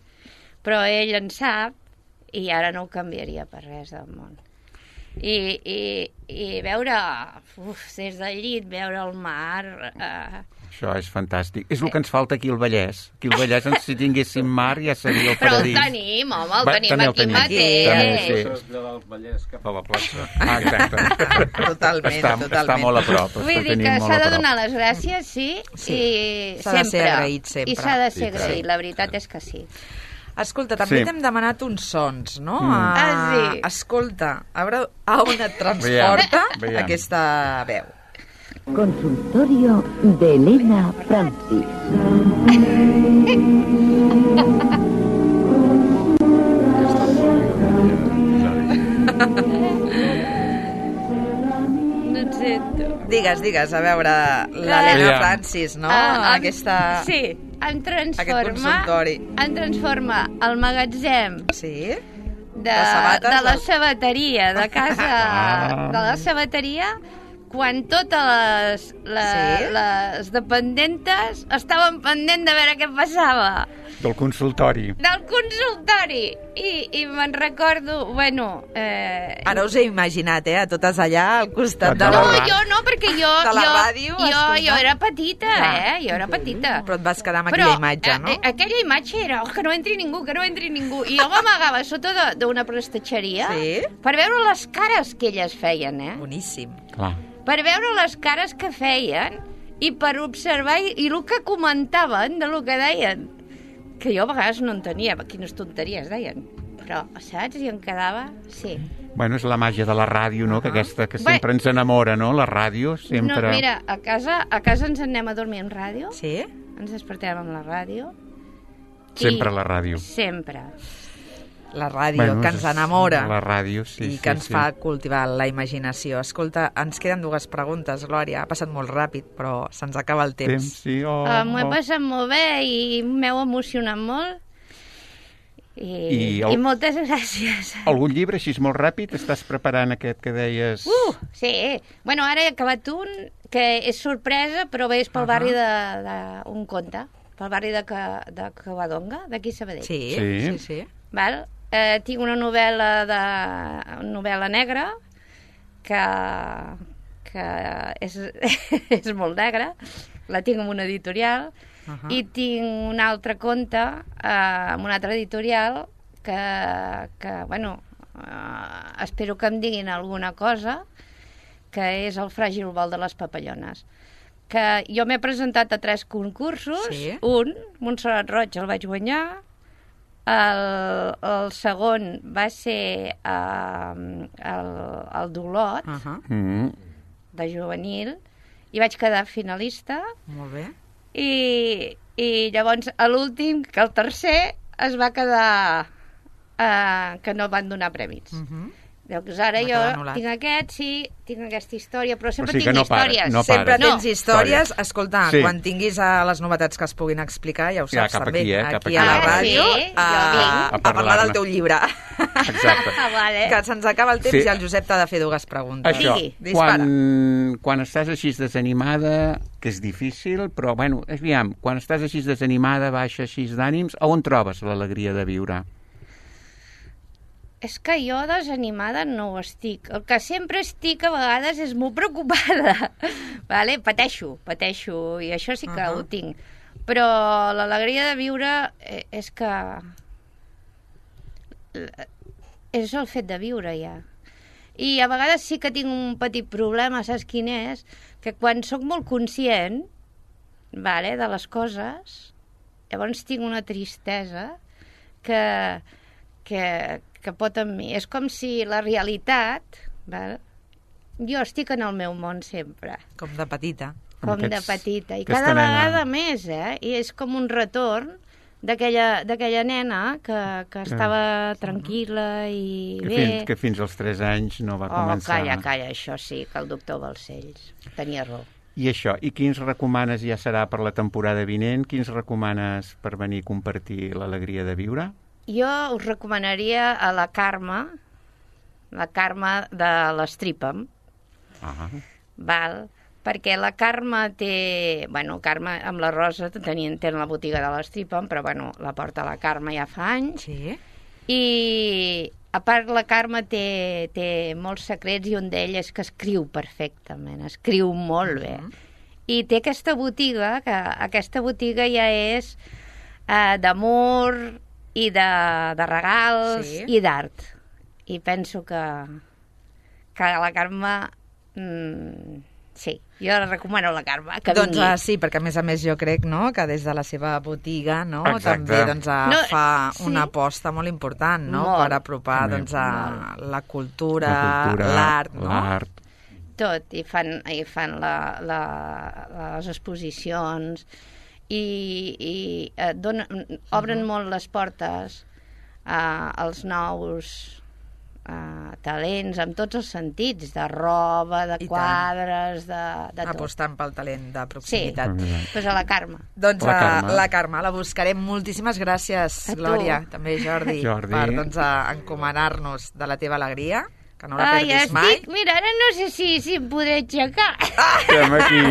Però ell en sap, i ara no ho canviaria per res del món. I, i, i veure, uf, des del llit, veure el mar... Eh, Això és fantàstic. És el que ens falta aquí al Vallès. Aquí al Vallès, si tinguéssim mar, ja seria el paradís. Però el tenim, home, el Va, tenim aquí tenim. mateix. També, sí. Traslladar el Vallès cap a la plaça. Ah, exacte. Totalment, està, totalment. Està molt a prop. Vull dir que s'ha de donar les gràcies, sí, sí. i s'ha sempre. de ser agraït sempre. I s'ha de ser sí, agraït, sí. la veritat és que sí. Escolta, també sí. t'hem demanat uns sons, no? Mm. Ah, sí. Escolta, a veure a on et transporta veiem, veiem. aquesta veu. Consultorio de Elena Francis. No et sento. Digues, digues, a veure, l'Helena Eh, Francis, no? Ah, em- Aquesta... Sí, em Aquest transforma, consultori. em transforma el magatzem Sí? de, De sabates, de la del- sabateria, de casa, Ah. de la sabateria, quan totes les, les, Sí? les dependentes estaven pendent de veure què passava. Del consultori. Del consultori. I, i me'n recordo, bueno... Eh, Ara us he imaginat, eh, a totes allà al costat de no, la... jo no, perquè jo... De la jo, ràdio, jo, escoltant. jo era petita, Clar. eh? Jo era petita. Però et vas quedar amb Però, aquella imatge, no? eh, eh, aquella imatge era, oh, que no entri ningú, que no entri ningú. I jo m'amagava sota de- d'una prestatgeria Sí? per veure les cares que elles feien, eh? Boníssim. Clar. Per veure les cares que feien i per observar i, i el que comentaven de lo que deien. Que jo a vegades no entenia quines tonteries deien. Però, saps? I em quedava... Sí. Bueno, és la màgia de la ràdio, no? Que aquesta que Bé. sempre ens enamora, no? La ràdio, sempre... No, mira, a casa, a casa ens anem a dormir amb ràdio. Sí? Ens despertem amb la ràdio. Sempre I- la ràdio. Sempre. La ràdio, Bueno, que ens és- enamora. La ràdio, sí, I sí, que ens sí. fa cultivar la imaginació. Escolta, ens queden dues preguntes, Glòria. Ha passat molt ràpid, però se'ns acaba el temps. Temps, sí, oh, Uh, M'ho he oh. passat molt bé i m'heu emocionat molt. I, I I, el- moltes gràcies. Algun llibre així molt ràpid? Estàs preparant aquest que deies... Uh, sí. Bueno, ara he acabat un que és sorpresa, però bé, és pel Ahà. barri de, de un conte, pel barri de, Ca, de Covadonga, d'aquí a Sabadell. Sí, Sí. sí, sí. Val? Eh, tinc una novel·la de una novel·la negra que, que és, és molt negra, la tinc en una editorial, Ahà. i tinc un altre conte eh, amb una altra editorial que, que bueno, eh, espero que em diguin alguna cosa, que és el fràgil vol de les papallones. Que jo m'he presentat a tres concursos, Sí. un, Montserrat Roig, el vaig guanyar, el, el segon va ser uh, el, el d'Olot, Uh -huh. Mm. de juvenil, i vaig quedar finalista, Molt bé. i, i llavors a l'últim, que el tercer, es va quedar uh, que no van donar premis. Uh -huh. Doncs ara Va jo quedar anul·lat. tinc aquest, sí, tinc aquesta història, però sempre O sigui que tinc no para, històries. no Sempre para. tens No. històries. Escolta, Sí. quan tinguis uh, les novetats que es puguin explicar, ja ho Ja, saps cap també, aquí, eh, cap aquí aquí. a la Ah, ràdio, sí? a, Jo vinc. a, A parlar parlar-ne. del teu llibre. Exacte. Ah, vale. Que se'ns acaba el temps Sí. i el Josep t'ha de fer dues preguntes. Això, Digui. Dispara. quan, quan estàs així desanimada, que és difícil, però, bueno, aviam, quan estàs així desanimada, baixa així d'ànims, on trobes l'alegria de viure? És que jo desanimada no ho estic. El que sempre estic a vegades és molt preocupada. Vale? Pateixo, pateixo, i això sí que Uh-huh. ho tinc. Però l'alegria de viure eh, és que... És el fet de viure, ja. I a vegades sí que tinc un petit problema, saps quin és? Que quan sóc molt conscient, vale, de les coses, llavors tinc una tristesa que, que, que pot amb mi. És com si la realitat... Val? Jo estic en el meu món sempre. Com de petita. Com Aquests, de petita. I aquesta cada nena. vegada més, eh? I és com un retorn d'aquella nena que, que estava tranquil·la i que bé. Fins, que fins als tres anys no va Oh, començar. calla, calla, això sí, que el doctor Balcells tenia raó. I això, i quins recomanes, ja serà per la temporada vinent, quins recomanes per venir a compartir l'alegria de viure? Jo us recomanaria a la Carme, la Carme de l'Stripam, Ah. val? Perquè la Carme té... Bueno, Carme amb la Rosa tenien, tenen la botiga de l'Stripam, però bueno, la porta la Carme ja fa anys. Sí. I a part la Carme té, té molts secrets i un d'ells és que escriu perfectament, escriu molt bé. Mhm. I té aquesta botiga, que aquesta botiga ja és eh, d'amor i de, de regals Sí. i d'art. I penso que, que la Carme... Mm, sí, jo la recomano a la Carme, que Doncs vingui. ah, sí, perquè a més a més jo crec, no?, que des de la seva botiga, no?, Exacte. també doncs, ah, No, fa sí. una aposta molt important, no?, Molt. per apropar També. doncs, a la cultura, La cultura, l'art, no? l'art. Tot, i fan, i fan la, la, les exposicions i, i eh, donen, obren molt les portes eh, als nous eh, talents, amb tots els sentits, de roba, de I tant. quadres, de, de tot. Apostant pel talent de Sí, proximitat. Mm. pues a la Carme. Doncs La la Carme. Carme. la Carme, la buscarem. Moltíssimes gràcies, A tu. Glòria, també Jordi, Jordi. per doncs, a encomanar-nos de la teva alegria, que no la Ah, ja perdis mai. estic, mira, ara no sé si, si em podré aixecar. Estem aquí.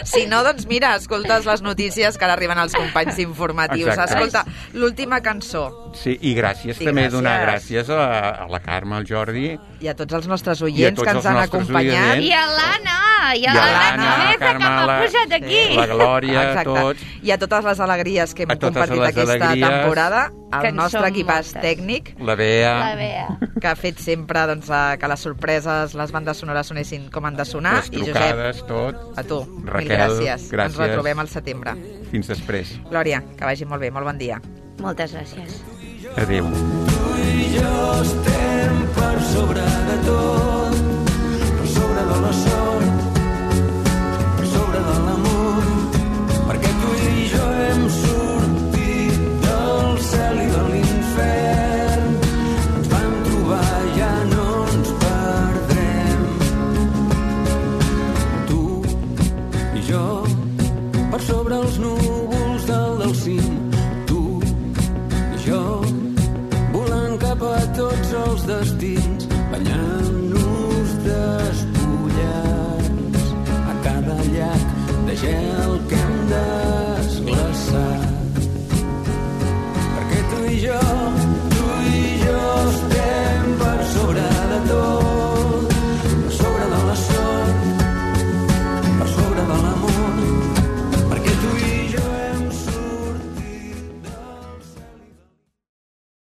Si no, doncs mira, escoltes les notícies que ara arriben als companys informatius. Exacte. Escolta, l'última cançó. Sí, i gràcies Sí, també gràcies. donar gràcies a, a la Carme, al Jordi. I a tots els nostres I a oients tots que ens els han nostres acompanyat. oients. I a l'Anna, i a I a l'Anna l'Anna, Cabeza, que m'ha Carmela, posat aquí. La Glòria, Exacte. tots. I a totes les alegries que hem A totes compartit les aquesta alegries. temporada, Que el en nostre són equipàs moltes. tècnic, La Bea. La Bea. que ha fet sempre doncs, eh, que les sorpreses, les bandes sonores sonessin com han de sonar. Les I Josep, trucades, tot. a tu, Raquel, mil gràcies. gràcies. Ens retrobem al setembre. Fins després. Glòria, que vagi molt bé, molt bon dia. Moltes gràcies. Adéu. Jo estem per sobre de tot, per sobre de la sort, per sobre de l'amor, perquè tu i jo hem sortit del cel i de l'infern, ens vam trobar, ja no ens perdrem. Tu i jo, per sobre els núvols del del cim, tu i jo, volant cap a tots els destins, banyant-nos despullats a cada llac de gel